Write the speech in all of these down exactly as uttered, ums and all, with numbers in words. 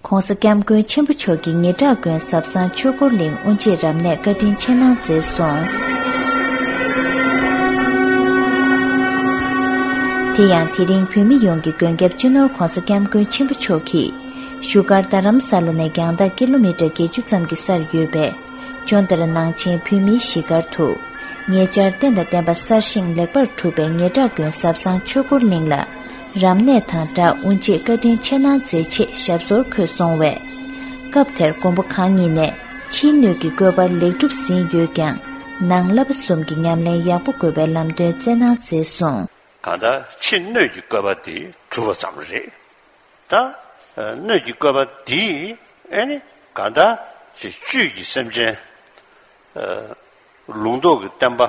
༸གོང་ས་༸སྐྱབས་མགོན་ཆེན་པོ་མཆོག་གིས་ཉེ་བྲག་དགོན་ཟབ་གསང་ཆོས་འཁོར་གླིང་དབུ་འབྱེད་རབ་གནས་བཀའ་དྲིན་ཆེ་གནང་མཛད་སོང་། དེ་ཡང་དེ་རིང་བོད་མི་ཡོངས་ཀྱི་མགོན་སྐྱབས་སྤྱི་ནོར་༸གོང་ས་༸སྐྱབས་མགོན་ཆེན་པོ་མཆོག་གིས་བཞུགས་སྒར་རྡ་རམ་ས་ལ་ནས་རྒྱང་ཐག་ཀི་ལོ་མི་ཊར་བརྒྱད་ཅུ་ཙམ་གྱི་སར་ཡོད་པའི་ཇོ་ནྡ་ར་ནང་ཆེན་བོད་མིའི་གཞིས་སྒར་དུ། ཉེ་ཆར་རྟེན་དང་བརྟེན་པ་གསར་བཞེངས་ལེགས་པར་གྲུབ་པའི་ཉེ་བྲག་དགོན་ཟབ་གསང་ཆོས་འཁོར་གླིང་ལ། རབ་གནས་དང་སྦྲགས་དབུ་འབྱེད་བཀའ་དྲིན་ཆེ་གནང་མཛད་ཆེད་ཞབས་སོར་འཁོད་སོང་བས། སྐབས་དེར་མགོན་པོ་གང་ཉིད་ནས་ཕྱིའི་སྣོད་ཀྱི་བཀོད་པ་ལེགས་གྲུབ་ཟིན་ཡོད་ཀྱང་། ནང་བསླབ་པ་གསུམ་གྱི་ཉམས་ལེན་ཡག་པོ་དགོས་པའི་ལམ་སྟོན་སྩལ་གནང་མཛད་སོང་། གང་ལྟར་ཕྱི་སྣོད་ཀྱི་བཀོད་པ་དེ་གྲུབ་པ་ཙམ་རེད། ད་སྣོད་ཀྱི་བཀོད་པ་དེས་ཨེ་ནི་གང་ལྟར་ཅིག་བཅུད་ཀྱི་སེམས་ཅན་ལུང་རྟོགས་ཀྱི་བསྟན་པ་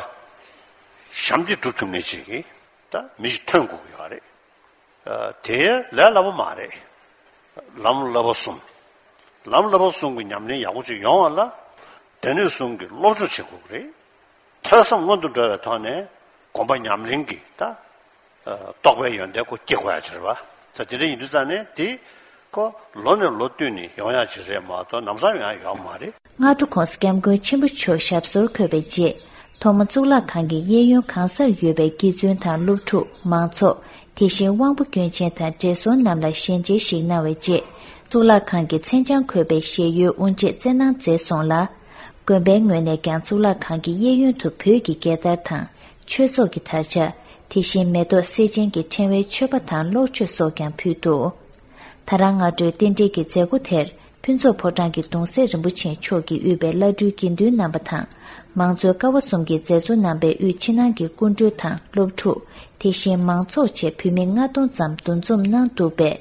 ཞབས་འདེགས་སྒྲུབ་ཐུབ་མཁན་ཅིག་གིས་ད་མི་ཞིག་ཐོན་དགོས་ཀྱི་ཡོད་རེད། དེ་ལས་སླ་པོ་མ་རེད། ལམ་བསླབ་པ་གསུམ། ལམ་བསླབ་པ་གསུམ་གྱི་ཉམས་ལེན་ཡག་པོ་ཅིག་ཡོང་བ་ལ་སྡེ་སྣོད་གསུམ་གྱི་སློབ་སྦྱོང་བྱེད་དགོས་ཀྱི་རེད། ཐོས་བསམ་སྔོན་དུ་འགྲོ་བའི་ཐོག་ནས་སྒོམ་པ་ཉམས་ལེན་གྱི་ད་རྟོགས་པའི་ཡོན་ཏན་ཁོ་སྐྱེ་དགོས་ཡ་ཅིག་རེད་པ། ད་དེ་འདྲ་ཡིན་དུས་ཙང་ནས་དེ་ཁོ་ལོ་ནས་ལོ་བསྟུད་ནས་ཡོང་ཡ་ཅིག་རེད་མ་གཏོགས་ལམ་སང་ཡོང་ཡ་ཡོད་མ་རེད། སྔ་དྲོ་༸གོང་ས་༸སྐྱབས་མགོན་ཆེན་པོ་མཆོག་ཞབས་སོར་འཁོད་པའི་རྗེས། ཐོག་མ་གཙུག་ལག་ཁང་གི་གཡས་གཡོན་གང་སར་ཡོད་པའི་དགེ་བཙུན་དང་སློབ་ཕྲུག་མང་ཚོགས། དེ་བཞིན་དབང་པོ་སྐྱོན་ཅན་དང་བགྲེས་སོང་རྣམས་ལ་ཞལ་མཇལ་ཞིག་གནང་བའི་རྗེས། གཙུག་ལག་ཁང་གི་མཚན་བྱང་འཁོད་པའི་ཞལ་ཡོལ་དབུ་འབྱེད་སྩལ་གནང་མཛད་སོང་ལ། དགོན་པའི་ངོས་ནས་ཀྱང་གཙུག་ལག་ཁང་གི་གཡས་གཡོན་དུ་བོད་ཀྱི་རྒྱལ་དར་དང་། ཆོས་ཚོགས་ཀྱི་དར་ཆ། དེ་བཞིན་མེ་ཏོག་སེར་ཆེན་གྱི་ཕྲེང་བའི་མཆོད་པ་དང་གློག་མཆོད་སོགས་ཀྱང་ཕུལ་འདུག་ད་རང་སྔ་དྲོའི་རྟེན་འབྲེལ་གྱི་མཛད་སྒོ་དེར། ཕུན་ཚོགས་ཕོ་བྲང་གི་གདུང་སྲས་རིན་པོ་ཆེ་མཆོག་གིས་དབུས་པའི་བླ་སྤྲུལ་དགེ་འདུན་རྣམ་པ་དང་། མང་གཙོའི་ཀ་བ་གསུམ་གྱི་མཛད་གཙོ་རྣམ་པས་དབུས་ཕྱི་ནང་གི་སྐུ་མགྲོན་དང་སློབ་ཕྲུག་དེ་བཞིན་མང་ཚོགས་བཅས་བོད་མི་ལྔ་སྟོང་ཙམ་འདུ་འཛོམས་གནང་འདུག་པས།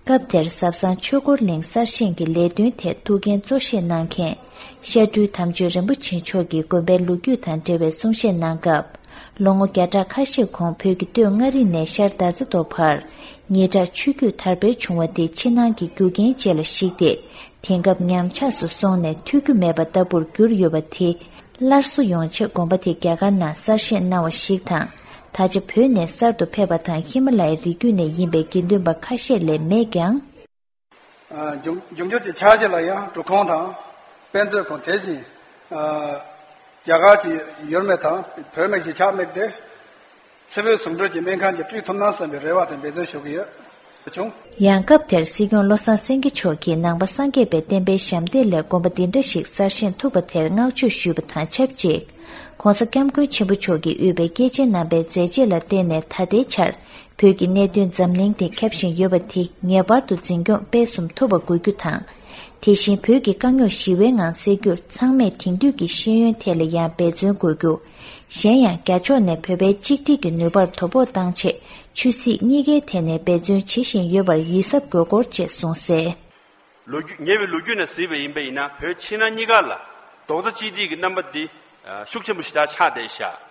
སྐབས་དེར་ཟབ་གསང་ཆོས་འཁོར་གླིང་གསར་བཞེངས་ཀྱི་ལས་དོན་ཐད་ཐུགས་འགན་གཙོ་བཞེས་གནང་མཁན། བཤད་སྤྲུལ་དམ་ཆོས་རིན་པོ་ཆེ་མཆོག་གིས་དགོན་པའི་ལོ་རྒྱུས་དང་འབྲེལ་བའི་གསུང་བཤད་གནང་སྐབས། ལོ་ངོ་བརྒྱ་ཕྲག་ཁ་ཤས་གོང་བོད་ཀྱི་སྟོད་མངའ་རིས་ནས་ཤར་དར་རྩེ་མདོ་བར། ཉེ་དྲག་ཆོས་བརྒྱུད་དར་འཕེལ་བྱུང་བ་དེ་ཕྱི་ནང་གི་རྒྱུ་རྐྱེན་བཅས་ལ་གཞིགས་ཏེ། དེང་སྐབས་ཉམས་ཆག་སུ་སོང་ནས་ཐོས་རྒྱུ་མེད་པ་ལྟ་བུར་གྱུར་ཡོད་པ་དེ། སླར་གསོ་ཡོང་ཆེད་དགོན་པ་དེ་རྒྱ་གར་ནང་གསར་བཞེངས་གནང་བ་ཞིག་དང་། ད་ཆ་བོད་ནས་གསར་དུ་ཕེབས་པ་དང་ཧི་མ་ལ་ཡའི་རི་རྒྱུད་ནས་ཡིན་པའི་དགེ་འདུན་པ་ཁ་ཤས་ལས་མེད་ཀྱང་། ཨ། འབྱུང་འབྱུང་འགྱུར་གྱི་ཕྱག་རྗེས་ལ་ཡང་འབྲུ་ཁང་དང་དཔེ་མཛོད་ཁང་དེ་བཞིན། ཨ། རྒྱ་གར་གྱི་ཡུལ་མི་དང་བོད་མི་གཞིས་ཆགས་དམིགས་ཏེ། ཚེ་འཕོས་ཟུང་འབྲེལ་གྱི་སྨན་ཁང་གྱི་སྤྲུལ་ཐུབ་ན་བསམ་པའི་རེ་བ་དང་འབད་བརྩོན་ཞུ་གི་ཡོད། བྱུང་། ཡང་སྐབས་དེར་སྲིད་སྐྱོང་བློ་བཟང་སེང་གེ་མཆོག་གིས་ནང་པ་སངས་རྒྱས་པའི་བསྟན་པའི་ཞབས་འདེགས་ལས་དགོན་པ་འདི་འདྲ་ཞིག་གསར་བཞེངས་ཐུབ་པ་དེར་བསྔགས་བརྗོད་ཞུས་པ་དང་ཆབས་ཅིག ༸གོང་ས་༸སྐྱབས་མགོན་ཆེན་པོ་མཆོག་གིས་དབུས་པའི་སྐྱེས་ཆེན་རྣམ་པའི་མཛད་རྗེས་ལ་བརྟེན་ནས་ད་ལྟའི་ཆར་བོད་ཀྱི་གནད་དོན་འཛམ་གླིང་སྟེང་ཁྱབ་བཞིན་ཡོད་པ་དེ་ངེས་པར་དུ་འཛིན་སྐྱོང་སྤེལ་གསུམ་ཐུབ་པ་དགོས་རྒྱུ་དང་། དེ་བཞིན་བོད་ཀྱི་དཀའ་རྙོག་ཞི་བའི་ངང་སེལ་རྒྱུར་ཚང་མས་དེང་དུས་ཀྱི་ཤེས་ཡོན་ཐད་ལ་ཡང་འབད་བརྩོན་དགོས་རྒྱུ། གཞན་ཡང་རྒྱ་ཕྱོགས་ནས་བོད་པའི་གཅིག་སྒྲིལ་གྱི་ནུས་པར་དོ་ཕོག་བཏང་ཆེད་ཆོས་སྲིད་གཉིས་ཀའི་ཐད་ནས་འབད་བརྩོན་བྱེད་བཞིན་ཡོད་པར་ཡིད་གཟབ་དགོས་སྐོར་བཅས་གསུངས་གསལ། ལོ་རྒྱུས་ཉེ་བའི་ལོ་རྒྱུས་ནས་གཟིགས་པ་ཡིན་པ་ཡིན་ན་བོད་ཕྱི་ནང་གཉིས་ཀ་ལ་རྡོག་རྩ་གཅིག་སྒྲིལ་གྱི་རྣམ་པ་འདི་ཤུགས་ཆེན་པོ་ཞེ་དྲག་ཆགས་བསྡད་ཤག་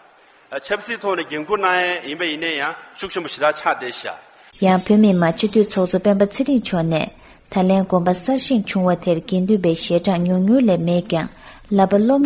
ཆབ་སྲིད་ཐོག་ནས་འགན་འཁུར་གནང་ཡས་ཡིན་པ་ཡིན་ན་ཡང་ཤུགས་ཆེན་པོ་ཞེ་དྲག་ཆགས་བསྡད་ཤག་ཡང་བོད་མི་མང་སྤྱི་འཐུས་ཚོགས་གཙོ་སྤེན་པ་ཚེ་རིང་མཆོག་ནས། ད་ལན་དགོན་པ་གསར་བཞེངས་བྱུང་བ་དེར་དགེ་འདུན་པའི་ཞལ་གྲངས་ཉུང་ཉུང་ལས་མེད་ཀྱང་། བསླབ་པ་སློབ་